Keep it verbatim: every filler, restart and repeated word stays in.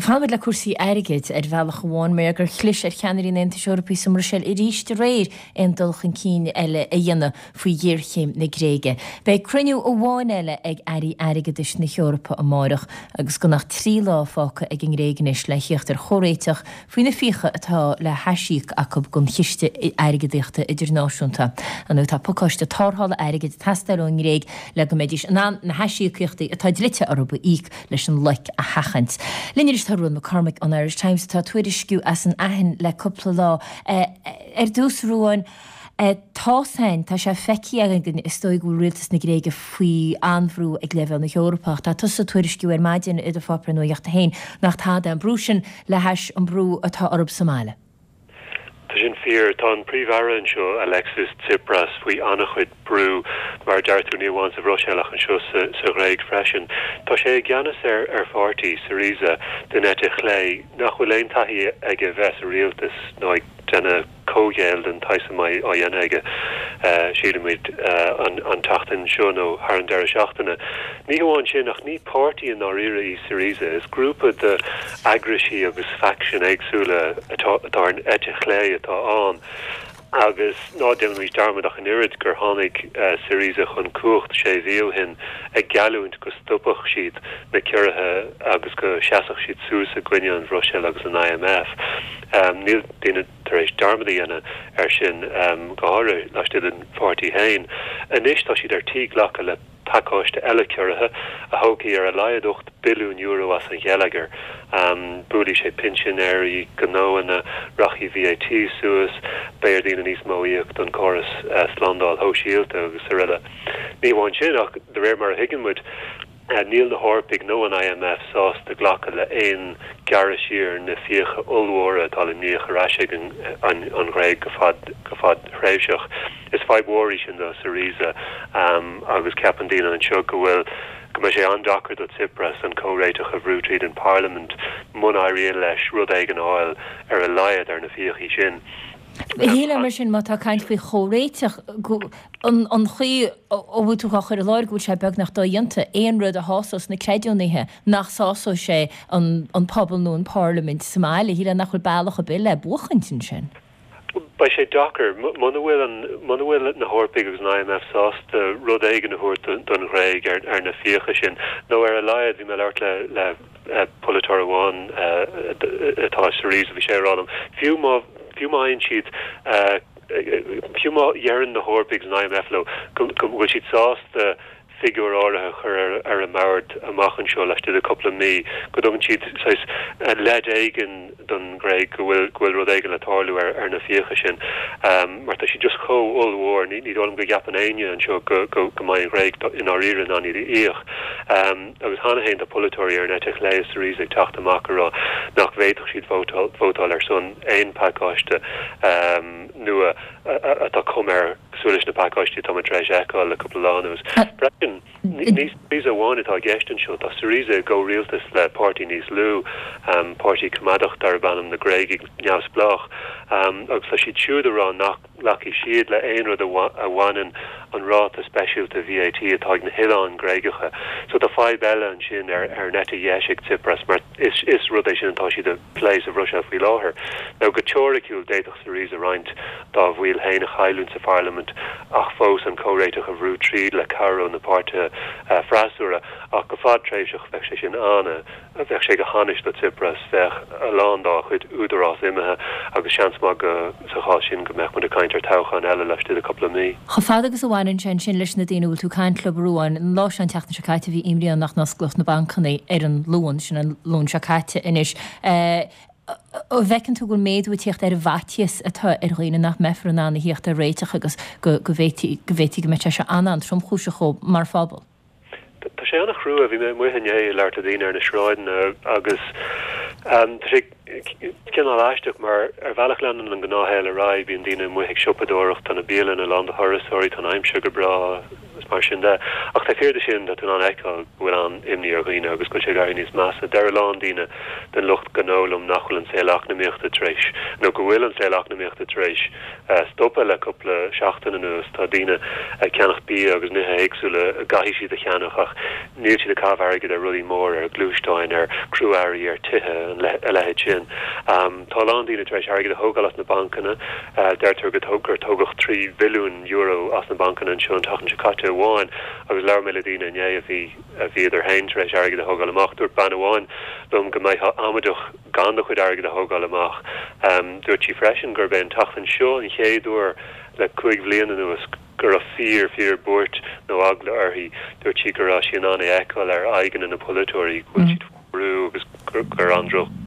Fanfaimid le cúrsaí airgid ar bhealach amháin mar gur chlis ar cheannairí an Aontais Eorpaigh sa mBruiséil arís aréir aon dul chun cinn eile a dhéanamh faoi ghéarchéim na Gréige. Beidh cruinniú amháin eile ag airí airgeadais na hEorpa amárach agus gan ach trí lá fágtha ag an nGréig anois le theacht ar chomhréiteach faoi na fiacha atá le haisíoc acu don Chiste Airgeadaíochta Idirnáisiúnta. Nó tá pacáiste tarrthála airgid ag teastáil ón nGréig le go mbeidís in ann na haisíocaíochtaí atá dlite orthu a íoc leis an loic a sheachaint. Linn anois tá Ruán McCormick ón Irish Times atá ag tuairisciú as an Aithin le cúpla lá. Ar dtús Ruán, tá féin, tá sé feicthe againn is dóigh go bhfuil rialtas na Gréige faoi an-bhrú ag leibhéal na hEorpa ach tá tusa ag tuairisciú ar maidin i do pháipéar nuachta féin nach tada an brú sin le hais an brú atá orthu sa mbaile. Tá sin fíor. Tá an Príomh-Aire anseo, Alexis Tsipras, faoi an-chuid brú, mar a deir tú, ní amháin sa Bhruiséil ach anseo sa sa Ghréig freisin. Tá sé i gceannas ar ar pháirtí, Syriza, den eite chlé, nach bhfuil aon taithí aige bheith sa rialtas ná ag déanamh comhghéill den tsaghas a mbeidh á dhéanamh aige, sílimid, an an tseachtain seo nó thar an deireadh seachtaine. Ní hamháin sin, ach ní páirtí i ndáiríre í Syriza, is grúpa de eagraisí agus faicsin éagsúla atá atá ar an eite chlé atá ann. Agus ná déanaimis dearmad ach an oiread gur tháinig Syriza chun cumhacht sé mhí ó shin ag geallúint go stopfadh siad na ciorruithe agus go seasfadh siad suas i gcoinne an Bhruiséil agus an I M F. Níl daoine tar éis dearmad a dhéanamh air sin, go háirithe laistigh den pháirtí féin. Anois tá siad ar tí glacadh le pacáiste eile ciorruithe a thógfaidh ar a laghad ocht billiún euro as an gheilleagar. Buailfidh sé pinsinéirí, gnóanna, rachaidh V A T suas, beidh ar daoine níos mó íoc don chóras slándáil shóisialta agus araile. Ní amháin sin, ach de réir mar a thuigeann muid, níl na hEorpaigh nó an I M F sásta glacadh le haon gearradh siar na fiacha ollmhóra atá le n-íoc ar ais ag an an Ghréig go fad go fadtréimhseach. Is fadhb mhór í sin do Syriza agus ceapann daoine anseo go bhfuil go mbeidh sé an-deacair do Tsipras an comhréiteach a bhrú tríd an Parliament muna éiríonn leis rud éigin a fháil ar a laghad ar na fiacha sin. Shílfeá mar sin, má tá caint faoi chomhréiteach, an an chaoi a bhfuil tú á chur i láthair go bhfuil sé beagnach dodhéanta aon rud a shásós na creidiúnaithe nach sásóidh sé an an pobal nó an Parlaimint sa mbaile, shílfeá nach bhfuil bealach ar bith le buachaint ansin. Beidh sé deacair muna bhfuil an muna bhfuil na hEorpaigh agus an I M F sásta rud éigin a thabhairt don Ghréig ar ar na fiacha sin, nó ar a laghad. Bhí mé ag labhairt le le polaiteoir amháin atá Syriza, bhí sé ag rá liom fiú má fiú má fhaigheann siad, fiú má dheireann na hEorpaigh agus an I M F leo go bhfuil siad sásta figiúr áirithe a chur ar ar an mbord amach anseo laistigh de cúpla mí, go dtugann siad saghas leid éigin don Ghréig go bhfuil go bhfuil rud éigin le tarlú ar ar na fiacha sin, mar tá siad just chomh ollmhór, ní ní dóigh liom go gceapann éinne anseo go go go mbeidh an Ghréig i ndáiríre in ann iad a íoc. Agus cheana féin tá polaiteoirí ar an eite chlé i Syriza ag teacht amach ag rá nach bhféadfadh siad vótáil vótáil ar son aon phacáiste nua atá cuma air cosúil leis na pacáistí atá muid tar éis a fheiceáil le cúpla lá anuas. Freisin, ní Syriza amháin atá i gceist anseo, tá Syriza i gcomhrialtas le páirtí níos lú, páirtí coimeádach darb ainm na Gréagaigh Neamhspleách, agus tá siad siúd ag rá nach nglacfaidh siad le aon rud a bhaineann an ráta speisialta V A T atá ag na hoileáin Ghréagacha. So tá fadhb eile ansin ar ar an eite dheis ag Tsipras, mar is is rud é sin atá siad ag plé sa Bhruiséil faoi láthair. Nó go teoiriciúil d'fhéadfadh Syriza roinnt dá bhaill féin a chailliúint sa pharlaimint ach fós an comhréiteach a bhrú tríd le cabhair ó na páirtithe freasúra, ach go fadtréimhseach bheadh sé sin an bheadh sé go hainnis do Tsipras, bheadh a lán dá chuid údarás imithe agus seans maith go sa chás sin go mbeadh muid ag caint ar toghchán eile laistigh de cúpla mí. Chomh fada agus a bhaineann sé ansin leis na daoine a bhfuil tú ag caint leo, a Ruáin, an lá seo an tseachtain seo caite bhí imní ann nach n-osclódh na bancanna ar an Luan, sin an Luan seo caite anois. An bhfeiceann tú go bhfuil méadú ag tíocht ar an bhfaitíos atá ar dhaoine nach mbeifear in ann a thíocht ar réiteach agus go go bhféadfaí go bhféadfaí go mbeadh sé seo an-an-tromchúiseach dóibh mar phobal? Tá sé an-chrua. Bhí mé amuigh inné ag labhairt le daoine ar na sráideanna agus tá sé cineál aisteach mar ar bhealach leanann an gnáthshaol ar aghaidh, bíonn daoine amuigh ag siopadóireacht, tá na bialanna lán de thurasóirí, tá an aimsir go breá, agus mar sin de. Ach taobh thiar de sin tá tú in ann a fheiceáil go bhfuil an-imní ar dhaoine agus go bhfuil sé ag éirí níos measa. Deir a lán daoine den lucht gnó liom nach bhfuil an saol eacnamaíochta tar éis, nó go bhfuil an saol eacnamaíochta tar éis stopadh le cúpla seachtain anuas. Tá daoine ag ceannach bia agus nithe éagsúla a gcaithfidh siad a cheannach ach níl siad ag caitheamh airgid ar rudaí móra, ar ghluaisteáin, ar chrua-earraí, ar tithe, a leithéid sin. Tá a lán daoine tar éis airgead a thógáil as na bancanna. Deirtear gur tógadh trí bhilliún euro as na bancanna anseo an tseachtain seo caite amháin agus labhair mé le daoine inné a bhí a bhíodar féin tar éis airgead a thógáil amach. Dúirt bean amháin liom go mbeifeá amaideach gan do chuid airgid a thógáil amach. Dúirt sí freisin gurb é an tseachtain seo an chéad uair le cúig bhliain anuas go raibh fíor fíor buairt nó eagla uirthi. Dúirt sí go raibh sí in ann é a fheiceáil ar aghaidheanna na polaiteoirí go bhfuil siad faoi bhrú agus gur an-droch.